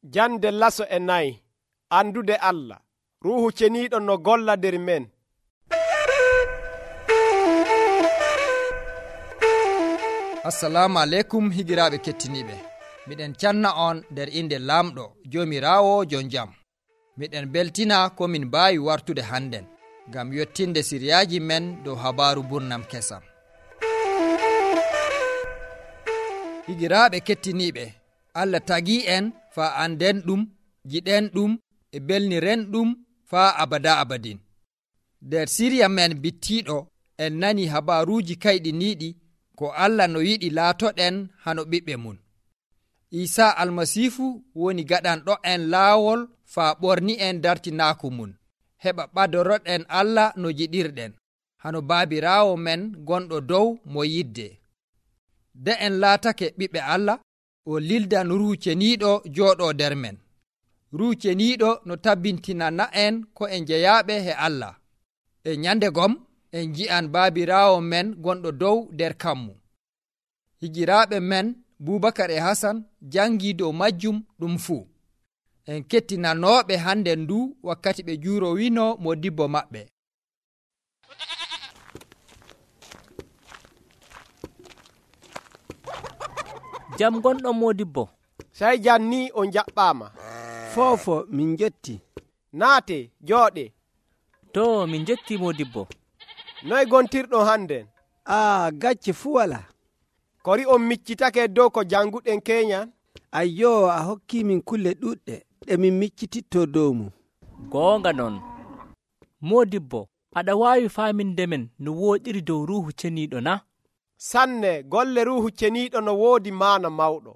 Jande laso e nayi. Andude Allah. Ruuhu ceniiɗo no golla nder men. Assalamu aleykum higiraaɓe kettiniiɓe. Miɗen canna on nder inde Laamɗo Joomiraawo jon jam. Miɗen beltina ko min mbaawi wartude hannden ngam yottinde siriyaaji men dow habaaru burnam kesam. Higiraaɓe kettiniiɓe, Allah tagii en faa anden ɗum, jiɗen ɗum e belniren ɗum faa abada abadin. Nder siriya men bittiiɗo en nani habaaruuji kayɗiniiɗi ko Allah no yiɗi laatoɗen hano ɓiɓɓe mum. Iisaa Almasiihu woni gaɗanɗo en laawol faa ɓorni en dartinaaku mum, heɓa ɓadoroɗen Allah no jiɗirɗen, hano baabiraawo men gonɗo dow mo yidde. De en laatake ɓiɓɓe Allah, o lildan Ruuhu Ceniiɗo jooɗoo nder men. Ruuhu Ceniiɗo no tabbintinana en ko en jeyaaɓe he Allah. E nyande gom en nji'an baabiraawo men gonɗo dow nder kammu. Higiraaɓe men Bubakar e Hasan jangii dow majjum ɗum fuu. En kettinanooɓe hande ndu wakkati ɓe juurowino modibbo maɓɓe. Jam gonɗon modibbo. Sai jan ni on jaɓɓaama. Foofo min jetti. Naate jooɗe. To min jetti modibbo. Noy gontirɗon hannden? Gacce fuu wala. Kori on miccitake dow ko janguɗen keñan? Ayyo, a hokki min kulle ɗuɗɗe ɗe min miccititto dow mum. Goonga non. Modibbo, aɗa waawi faaminde men no wooɗiri dow Ruuhu Ceniiɗo na? Sanne, golle Ruuhu Ceniiɗo no woodi maana mawɗo.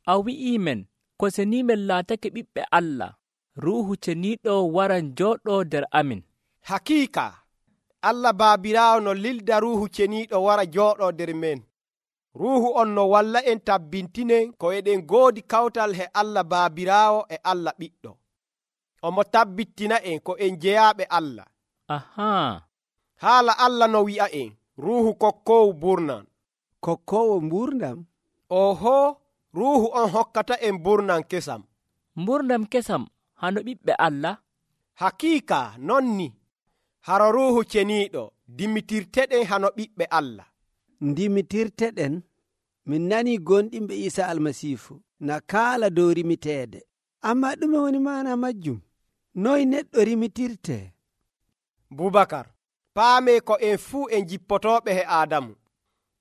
A wi'ii men, ko seni men laatake ɓiɓɓe Allah, Ruuhu Ceniiɗo waran jooɗoo nder amin. Hakiika, Allah Baabiraawo no lilda Ruuhu Ceniiɗo wara jooɗoo nder men. Ruuhu on no walla en tabbintinen ko eɗen goodi kawtal he Allah Baabiraawo e Allah Ɓiɗɗo. Omo tabbitina en ko en jeyaaɓe Allah. Ahaa. Haala Allah no wi'a en, Ruuhu kokkoowo burnan. Kokkoowo mburdam? Oho, Ruuhu on hokkata en burnan kesam. Mburdam kesam hano ɓiɓɓe Allah? Hakiika non ni. Haro Ruuhu Ceniiɗo dimitirteɗen hano ɓiɓɓe Allah. Dimitirteɗen? Min nani gonɗinɓe Iisa Almasiihu na kaala dow rimiteede. Amma ɗume woni maana majjum? Noy neɗɗo rimitirte? Bubakar, paame ko en fuu en jippotooɓe he Aadamu.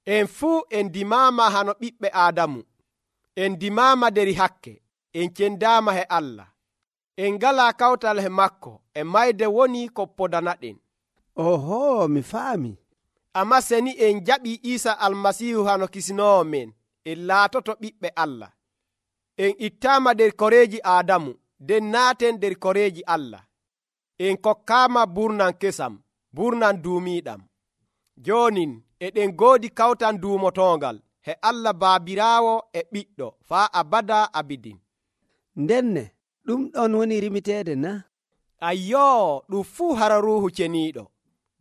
En fuu en dimaama hano ɓiɓɓe Aadamu. En dimaama deri hakke. En cendaama he Allah. En ngalaa kawtal he makko. E mayde woni ko podanaɗen. Oho, mi faami. Amma seni en jaɓii Iisa Almasiihu hano kisinoowo men, en laatoto ɓiɓɓe Allah. En ittaama nder koreeji Aadamu, nden naaten nder koreeji Allah. En kokkaama burnan kesam, burnan duumiiɗam. Joonin eɗen goodi kawtan duumotoongal he Allah Baabiraawo e Ɓiɗɗo faa abada abidin. Ndenne ɗum ɗon woni rimiteede na? Ayyoo, ɗum fuu hara Ruuhu Ceniiɗo.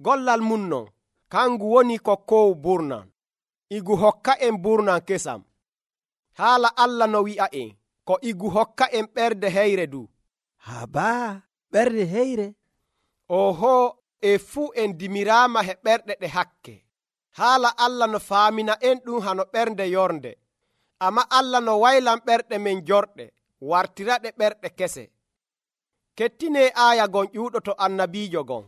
Gollal mum non, kangu woni kokkoowo burnan. Igu hokka en burnan kesam. Haala Allah no wi'a en, ko igu hokka en ɓerde heyre du. Habaa, ɓerde heyre? Oho, e fuu en dimiraama he ɓerɗe ɗe hakke. Haala Allah no faamina en ɗum hano ɓernde yornde. Amma Allah no waylan ɓerɗe men jorɗe, wartiraɗe ɓerɗe kese. Kettine aaya gon ƴuuɗoto annabiijo gon.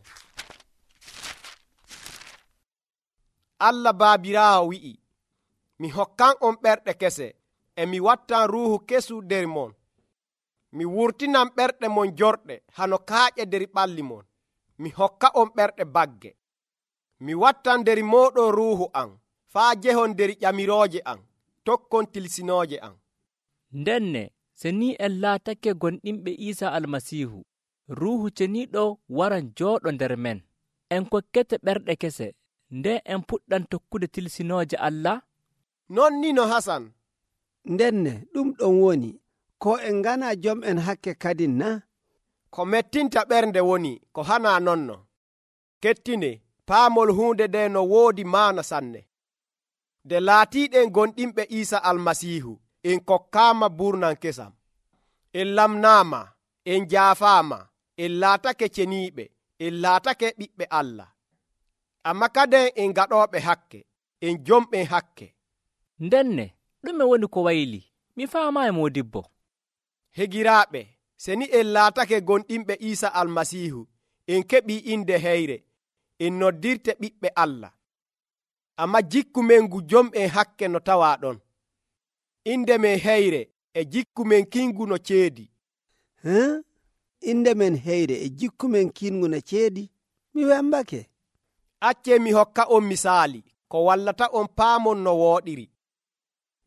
Allah Baabiraawo wi'i, mi hokkan on ɓerɗe kese, e mi wattan Ruuhu kesu nder mon. Mi wurtinan ɓerɗe mon jorɗe hano kaaƴe nder ɓalli mon. Mi hokka on ɓerɗe bagge. Mi wattan nder mooɗon Ruuhu am, faa jehon nder ƴamirooje am, tokkon tilsinooje am. Ndenne, se ni en laatake gonɗinɓe Iisa Almasiihu, Ruuhu Ceniiɗo waran jooɗo nder men. En kokkete ɓerɗe kese, nde en puɗɗan tokkude tilsinooje Allah? Non ni no Hasan. Ndenne ɗum ɗon woni, ko en ngana jom en hakke kadin na? Ko mettinta ɓernde woni ko hana nonno. Kettine, paamol huunde nde no woodi maana sanne. De laatiiɗen gonɗinɓe Iisa Almasiihu, en kokkaama burnan kesam. en lamnaama, en jaafaama, en laatake ceniiɓe, en laatake ɓiɓɓe Allah. Amma kaden en gaɗooɓe hakke, en jomɓen hakke. ndenne ɗume woni ko wayli? mi faamaayi moodibbo. Hegiraaɓe, se ni en laatake gonɗinɓe Iisa Almasiihu, en keɓii inde heyre, en noddirte ɓiɓɓe Allah. Amma jikku men ngu jom'en hakke no tawaa ɗon. Inde men heyre e jikku men kingu no ceedi. Inde men heyre e jikku men kingu no ceedi? Mi wembake. Accee mi hokka on misaali ko wallata on paamon no wooɗiri.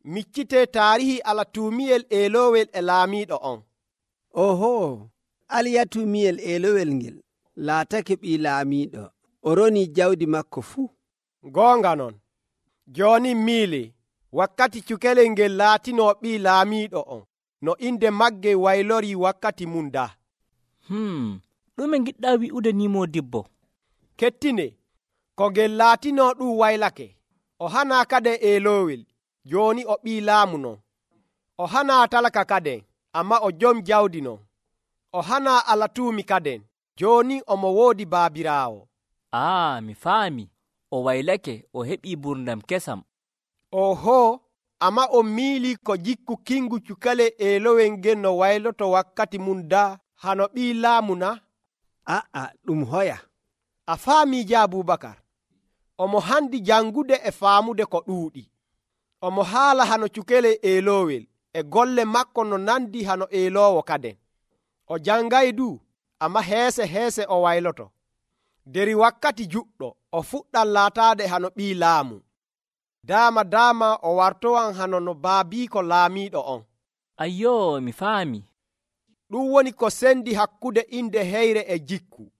Miccitee taarihi alatuumiyel eelowel e laamiiɗo on. Oho, aliyatuumiyel eelowel ngel laatake ɓii laamiiɗo, o ronii jawdi makko fuu. Goonga non, jooni miili wakkati cukalel ngel laatinoo ɓii laamiiɗo on, no inde magge waylorii wakkati mum daa. ɗume giɗɗaa wi'ude ni moodibbo? Kettine, ko ngel laatinoo ɗum waylake, o hanaa kaden eelowel, jooni o ɓii laamu non. O hanaa talaka kaden, amma o jom jawdi non. O hanaa alatuumi kaden, jooni omo woodi baabiraawo. mi faami. O waylake, o heɓii ɓurdam kesam. Oho, amma o miilii ko jikku kingu cukale eelowel ngel no wayloto wakkati mum daa hano ɓii laamu na? Ɗum hoya. A faamii ja Abubakar. Omo handi jangude e faamude ko ɗuuɗi. Omo haala hano cukale eelowel e golle makko no nandi hano eelowo kaden. O jangay du, amma heese o wayloto. Deri wakkati juɗɗo o fuɗɗan laataade hano ɓii laamu. Daama o wartowan hano no baabiiko laamiiɗo on. Ayyoo, mi faami. Ɗum woni ko sendi hakkude inde heyre e jikku.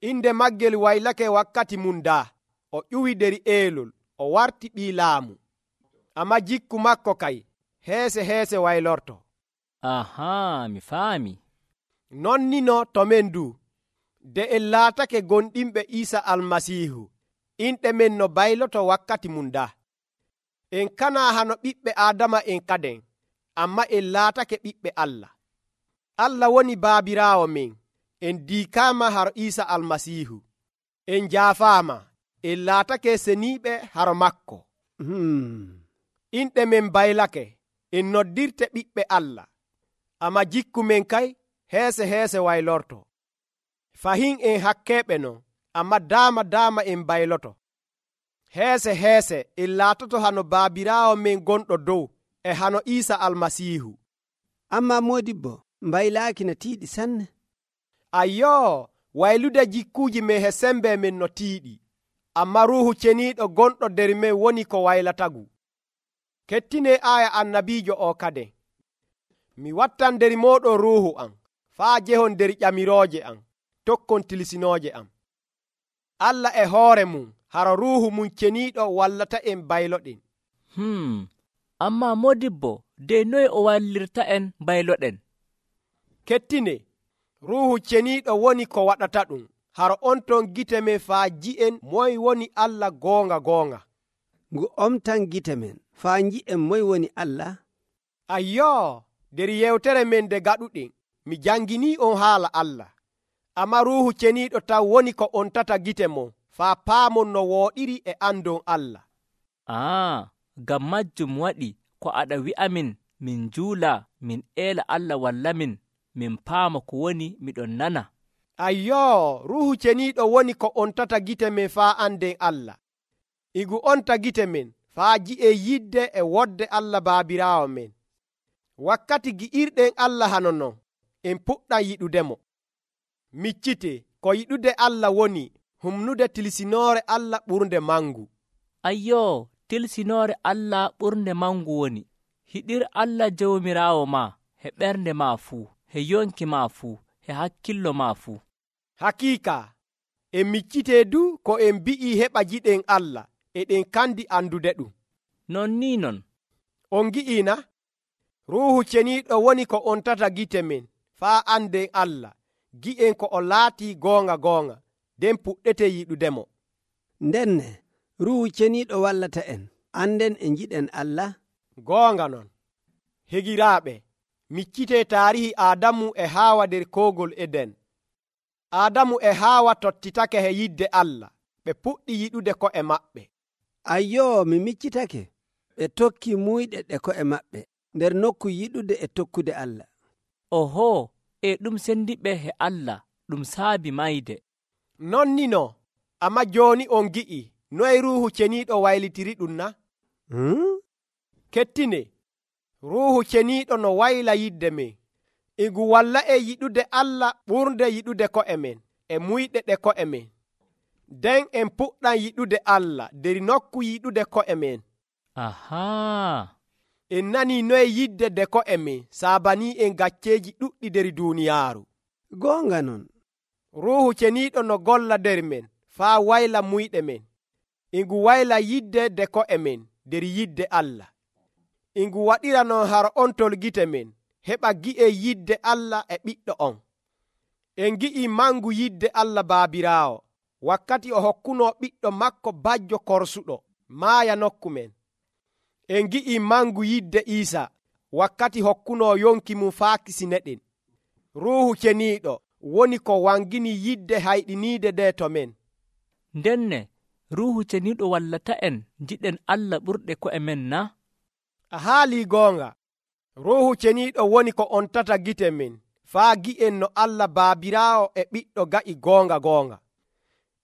Inde maggel waylake wakkati mum daa. O ƴuwi deri eelol, o warti ɓii laamu. Amma jikku makko kay heese waylorto. Mi faami. Non nino to men du, de en laatake gonɗinɓe Iisa Almasiihu, inɗe men no bayloto wakkati mum daa. En kanaa hano ɓiɓɓe Aadama en kaden, amma en laatake ɓiɓɓe Allah. Allah woni baabiraawo men, en diikaama haro Iisa Almasiihu. En jaafaama, en laatake seniiɓe haro makko. Inɗe men baylake, en noddirte ɓiɓɓe Allah, amma jikku men kay heese waylorto. Fahin en hakkeeɓe non, amma daama en bayloto. Heese en laatoto hano baabiraawo men gonɗo dow e hano Iisa Almasiihu. Amma moodibbo, mbaylaaki no tiiɗi sanne. Ayyoo, waylude jikkuuji men he sembe men no tiiɗi, amma ruuhu ceniiɗo gonɗo nder men woni ko waylatagu. Kettine aya annabiijo o kaden. Mi wattan nder mooɗon ruuhu am, faa jehon nder ƴamirooje am, tokkon tilsinooje am. Allah e hoore mum haro ruuhu mum ceniiɗo wallata en bayloɗen. Amma modibbo, de noye o wallirta en bayloɗen? Kettine, ruuhu ceniiɗo woni ko waɗata ɗum, haro on ton gite men faa ji'en moy woni Allah goonga. Ngu omtan gite men faa nji'en moy woni Allah. Ayyoo, nder yewtere men nde gaɗuɗen, mi janginii on haala Allah. Amma ruuhu ceniiɗo taw woni ko on tata gite mon faa paamon no wooɗiri e andon Allah. Ngam majjum waɗi ko aɗa wi'amin min juula, min eela Allah walla min paama ko woni miɗon nana. Ayyoo, ruuhu ceniiɗo woni ko on tata gite men faa anden Allah. Igu onta gite men faa ji'e yidde e wodde Allah baabiraawo men. Wakkati gi'irɗen Allah hano non, en puɗɗan yiɗudemo. Miccite, ko yiɗude Allah woni humnude tilsinoore Allah ɓurnde mangu. Ayyoo, tilsinoore Allah ɓurnde mangu woni hiɗir Allah jawmiraawo ma he ɓernde ma fuu, he yonki ma fuu, he hakkillo ma fuu. Hakiika, en miccite du ko en bi'i heɓa jiɗen Allah, eɗen kandi andude ɗum. Non ni non. On gi'ina, ruuhu ceniiɗo woni ko on tata gite men faa anden Allah, gi'en ko o laatii goonga, nden puɗɗete yiɗudemo. Ndenne, ruuhu ceniiɗo wallata en anden e njiɗen Allah. Goonga non. Hegiraaɓe, miccitee taarihi Aadamu e Haawa nder koogol Eden. Aadamu e Haawa tottitake he yidde Allah, ɓe puɗɗi yiɗude ko'e maɓɓe. Ayyoo, mi miccitake. Ɓe tokki muyɗe ɗe ko'e maɓɓe nder nokku yiɗude e tokkude Allah. Oho, e ɗum sendiɓe he Allah ɗum saabi mayde. Non ni no, amma jooni on gi'i noye Ruuhu Ceniiɗo waylitiri ɗum na? Kettine, Ruuhu Ceniiɗo no wayla yidde men, e ngu walla en yiɗude Allah ɓurde yiɗude ko'e men e muyɗe ɗe ko'e men. Den en puɗɗan yiɗude Allah nder nokku yiɗude ko'e men. Ahaa. En nanii noye yidde de ko'e men saabanii en gacceeji ɗuɗɗi nder duuniyaaru. Goonga non. Ruuhu Ceniiɗo no golla nder men faa wayla muyɗe men, e ngu wayla yidde de ko'e men nder yidde Allah. E ngu waɗira non har ontol gite men heɓa gi'en yidde Allah e ɓiɗɗo on. En gi'ii mangu yidde Allah Baabiraawo wakkati o hokkunoo ɓiɗɗo makko bajjo korsuɗo maaya nokku men. En gi'ii mangu yidde Iisa wakkati hokkunoo yonki mum faa kisineɗen. Ruuhu Ceniiɗo woni ko wangini yidde hayɗiniide nde to men. Ndenne Ruuhu Ceniiɗo wallata en jiɗen Allah ɓurɗe ko'e men na? A haalii goonga. Ruuhu Ceniiɗo woni ko ontata gite men faa gi'en no Allah Baabiraawo e ɓiɗɗo ga'i goonga goonga.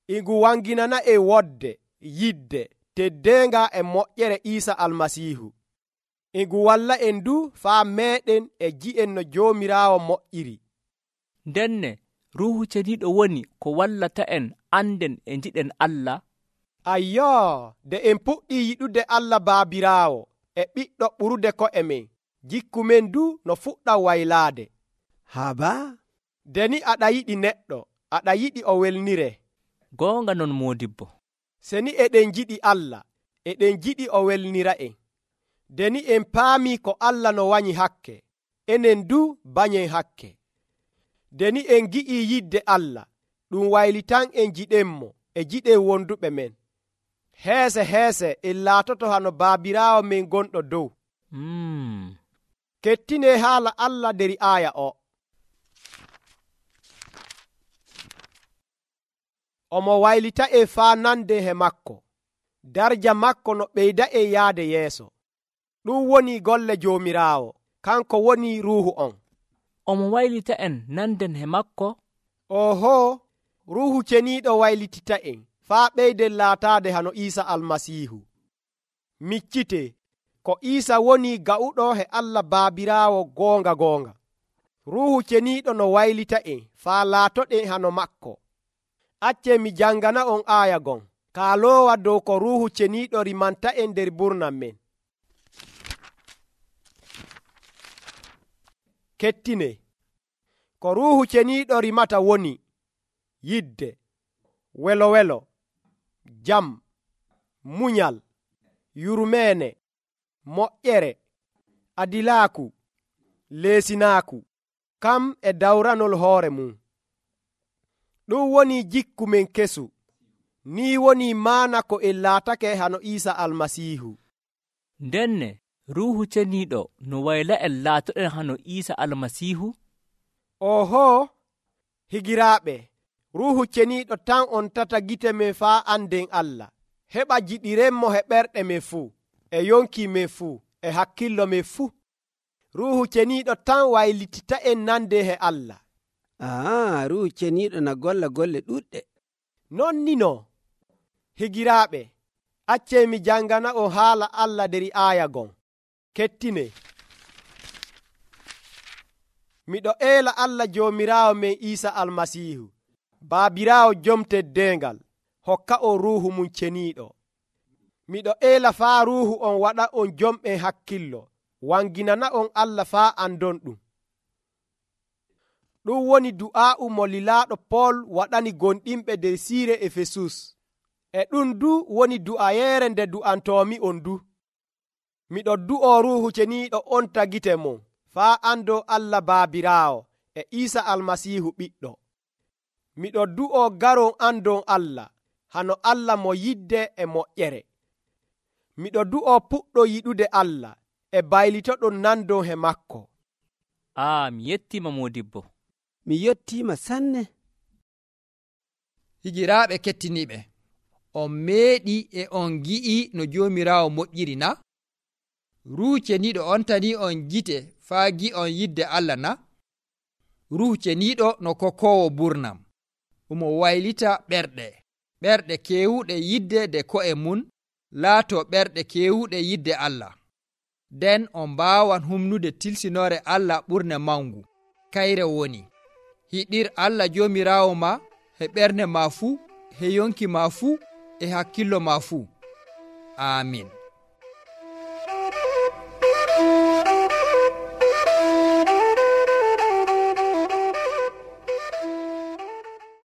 E ngu wanginana en wodde, yidde, teddeenga e moƴƴere Iisa Almasiihu. E ngu walla en du faa meeɗen e ji'en no Joomiraawo moƴƴiri. Ndenne Ruuhu Ceniiɗo woni ko wallata en anden e jiɗen Allah. Ayyoo, nde en puɗɗii yiɗude Allah Baabiraawo e ɓiɗɗo ɓurude ko'e men, jikku men du no fuɗɗa waylaade. Haba? Deni aɗa yiɗi neɗɗo, aɗa yiɗi o welnire. Goonga non moodibbo. Seni eɗen jiɗi Allah, eɗen jiɗi o welnira en. Deni en paamii ko Allah no wanyi hakke, enen du banyen hakke. Deni en gi'ii yidde Allah, ɗum waylitan en jiɗenmo e jiɗen wonduɓe men. Heese heese en laatoto hano Baabiraawo men gonɗo dow. Kettine haala Allah nder aaya o. Omo waylita en faa nande he makko, darja makko no ɓeyda en yaade yeeso. Ɗum woni golle Joomiraawo, kanko woni Ruuhu on. Omo waylita en nanden he makko? Oho, Ruuhu Ceniiɗo waylitita en faa ɓeyden laataade hano Iisa Almasiihu. Miccite, ko Iisa woni ga'uɗo he Allah Baabiraawo goonga goonga. Ruuhu Ceniiɗo no waylita en faa laatoɗen hano makko. Accee mi jangana on aaya gon, kaaloowa dow ko Ruuhu Ceniiɗo rimanta en nder burnam men. Kettine, ko Ruuhu Ceniiɗo rimata woni yidde, welo, jam, munyal, yurmeene, moƴƴere, adilaaku, leesinaaku, kam e dawranol hoore mum. Ɗum woni jikku men kesu, ni woni maana ko en laatake hano Iisa Almasiihu. Ndenne Ruuhu Ceniiɗo no wayla en laatoɗen hano Iisa Almasiihu? Oho, higiraaɓe, Ruuhu Ceniiɗo tan on tata gite men faa anden Allah, heɓa jiɗirenmo he ɓerɗe men fuu, e yonki men fuu, e hakkillo men fuu. Ruuhu Ceniiɗo tan waylitita en nande he Allah. Ruuhu Ceniiɗo na golla golle ɗuɗɗe. Non ni no, higiraaɓe, accee mi jangana on haala Allah nder aaya gon. Kettine, miɗo eela Allah Joomiraawo men Iisa Almasiihu, Baabiraawo jom teddeengal, hokka on Ruuhu mum Ceniiɗo. Miɗo eela faa Ruuhu on waɗa on jomɓen hakkillo, wanginana on Allah faa andon ɗum. Ɗum woni du'aa'u mo lilaaɗo Pool waɗani gonɗinɓe nder siire Efesus. E ɗum du woni du'ayeere nde du'antoomi on du. Miɗo du'oo Ruuhu Ceniiɗo on tagite mon faa ando Allah Baabiraawo e Iisa Almasiihu ɓiɗɗo. Miɗo du'oo garon andon Allah, hano Allah mo yidde e moƴƴere. Miɗo du'oo puɗɗo yiɗude Allah e baylitoɗon nandon he makko. mi yettiima moodibbo. mi yettiima sanne. higiraaɓe kettiniiɓe, on meeɗi e on gi'i no joomiraawo moƴƴiri na? Ruuhu Ceniiɗo on tani on gite faa gi'on yidde Allah na? Ruuhu Ceniiɗo no kokoowo burnam, omo waylita ɓerɗe keewuɗe yidde de ko'e mum laatoo ɓerɗe keewuɗe yidde Allah. Nden on mbaawan humnude tilsinoore Allah ɓurne mangu. Kayre woni, hiɗir Allah joomiraawo ma he ɓernde ma fuu, he yonki ma fuu, e hakkillo ma fuu. Aamin.